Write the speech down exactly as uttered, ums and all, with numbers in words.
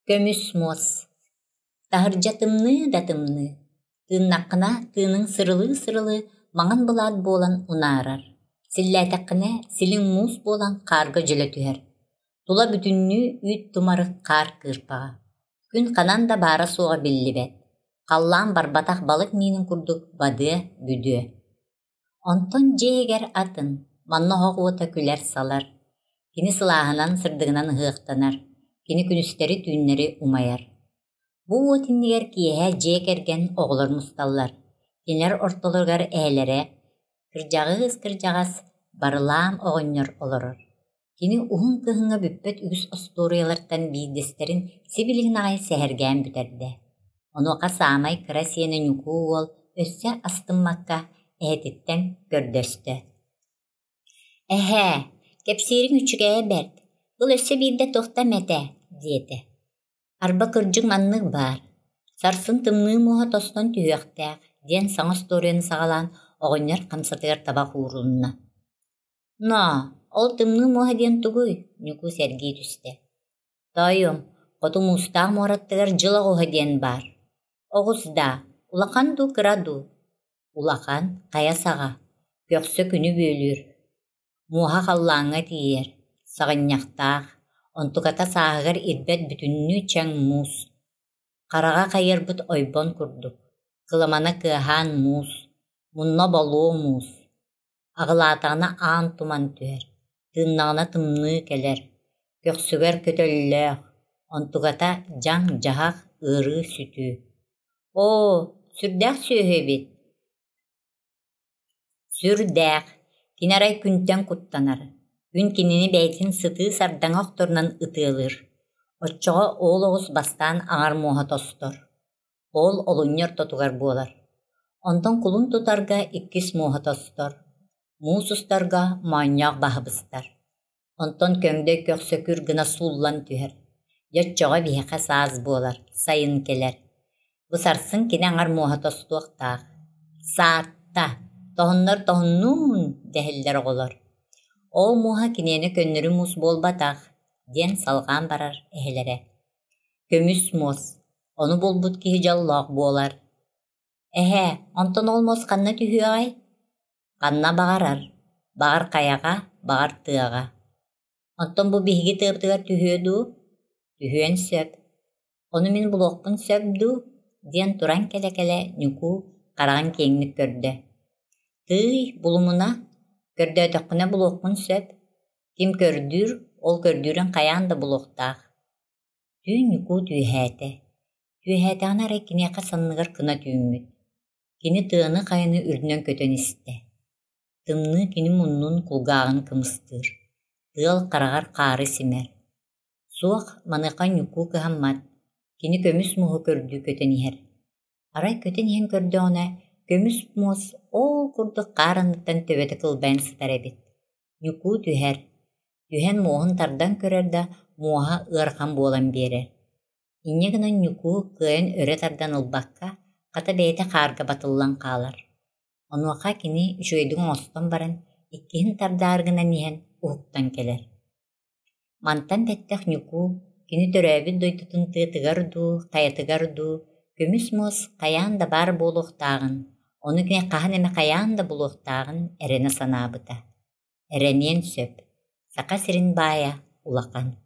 Көмүс муос. Таһырдьа тымныы да тымныы, тыыннаххына тыыныҥ сырылыы-сырылыы маҥан былаат буолан унаарар, силлээтэххинэ силиҥ муус буолан хаарга дьөлө түһэр. Тула бүтүннүү үүт тумарык хаар кыырпаҕа. Күн ханан да баара-суоҕа биллибэт, халлаан барбатах балык миинин курдук бадыа-бүдүө. Онтон дьиэ иһигэр атын, манна оһох уота күлэр-салар. Кини сылааһынан, сырдыгынан ыһыахтанар, кини күнүстэри-түүннэри умайар. Бу уот иннигэр киэһэ дьиэ кэргэн оҕолор мусталлар. Кинилэр ортолоругар эһэлэрэ, кырдьаҕыыс-кырдьаҕас Барылаам оҕонньор олорор. Кини уһун кыһыҥҥа бүппэт үгүс остуоруйалартан биирдэстэрин сибилигин аҕай сэһэргээн бүтэрдэ. Онуоха саамай кыра сиэнэ Ньукуу уол өссө астыммакка эһэтиттэн көрдөстө: «Эһээ, кэпсиириҥ үчүгэйэ бэрт, ыл өссө биирдэ туохта эмэтэ» диэтэ. Арба кырдьык маннык баар, сарсын тымныы муоһа тостон түһүөхтээх диэн саҥа остуоруйаны саҕалаан оҕонньор хамсатыгар табах уурунна. «Ноо, ол тымныы муоһа диэн тугуй?» Ньукуу сэргии түстэ. «Тоойуом, хоту муустаах муораттыгар дьыл оҕуһа диэн баар. Оҕус даа, улахан дуу, кыра дуу?» «Улахан, хайа саҕа, көхсө күнү бүөлүүр, муоһа халлааҥҥа тиийэр, саҕынньахтаах, онтуката сааһыгар ирбэт бүтүннүү чэҥ муус, хараҕа хайыарбыт ойбон курдук, кыламана кыаһаан муус, мунна болуо муус, аҕылаатаҕына аан туман түһэр, тыыннаҕына тымныы кэлэр, көхсүгэр көтөллөөх, онтуката дьаҥ-дьаһах, ыарыы-сүтүү. Оо, сүрдээх сүөһү эбит Сүрдээх, кини арай күнтэн куттанар, күн кинини бэйэтин сытыы сардаҥа охторунан ытыалыыр. Оччоҕо ол оҕус бастаан аҥар муоһа тостор. Ол олунньу ортотугар буолар. Онтон кулун тутарга иккис муоһа тостор. Муус устарга моонньоох баһа быстар. Онтон көҥдөй көхсө күр гына сууллан түһэр. Дьэ оччоҕо биһиэхэ саас буолар, сайын кэлэр. Бу сарсын кини аҥар муоһа тостуохтаах. Саатта, тоһуннар тоһуннуун дэһэллэр оҕолор. Ол муоһа киниэнэ көннөрү муус буолбатах, диэн салҕаан барар эһэлэрэ. Көмүс муос, ону булбут киһи дьоллоох буолар. Эһээ, онтон ол муос ханна түһүөҕэй? Ханна баҕарар, баҕар хайаҕа, баҕар тыаҕа. Оттон бу биһиги тыабытыгар түһүө дуу? Түһүөн сөп. Ону мин булуохпун сөп дуу? диэн туран кэлэ-кэлэ Ньукуу хараҕын киэҥник көрдө. Тыый, булумуна, көрдөөтөххүнэ булуоххун сөп. Ким көрдүүр, ол көрдүүрүн хайаан да булуохтаах. Түүн Ньукуу түөһээтэ. Түөһээтэҕинэ арай киниэхэ санныгар кына түүммүт. Кини тыаны-хайаны үрдүнэн көтөн истэ. Тымныы кини муннун, кулгааҕын кымыстыыр. Тыал хараҕар хаары симэр. Суох, маныаха Ньукуу кыһаммат. Кини көмүс муоһу көрдүү көтөн иһэр. Арай көтөн иһэн көрдөҕүнэ, көмүс муос ол курдук хаар анныттан төбөтө кылбайан сытар эбит. Ньукуу түһэр. Түһэн муоһун тардан көрөр да, муоһа ыарахан буолан биэрэр. Инньэ гынан Ньукуу кыайан өрө тардан ылбакка, хата бэйэтэ хаарга батыллан хаалар. Онуоха кини үчүгэйдик оҥостон баран, иккиһин тардаары гынан иһэн уһуктан кэлэр. Мантан бэттэх Ньукуу кини төрөөбүт дойдутун тыатыгар дуу, хайатыгар дуу көмүс муос хайаан да баар буолуохтааҕын, ону кини хаһан эмэ хайаан да булуохтааҕын эрэнэ санаабыта. Эрэниэн сөп, Саха сирин баайа улахан.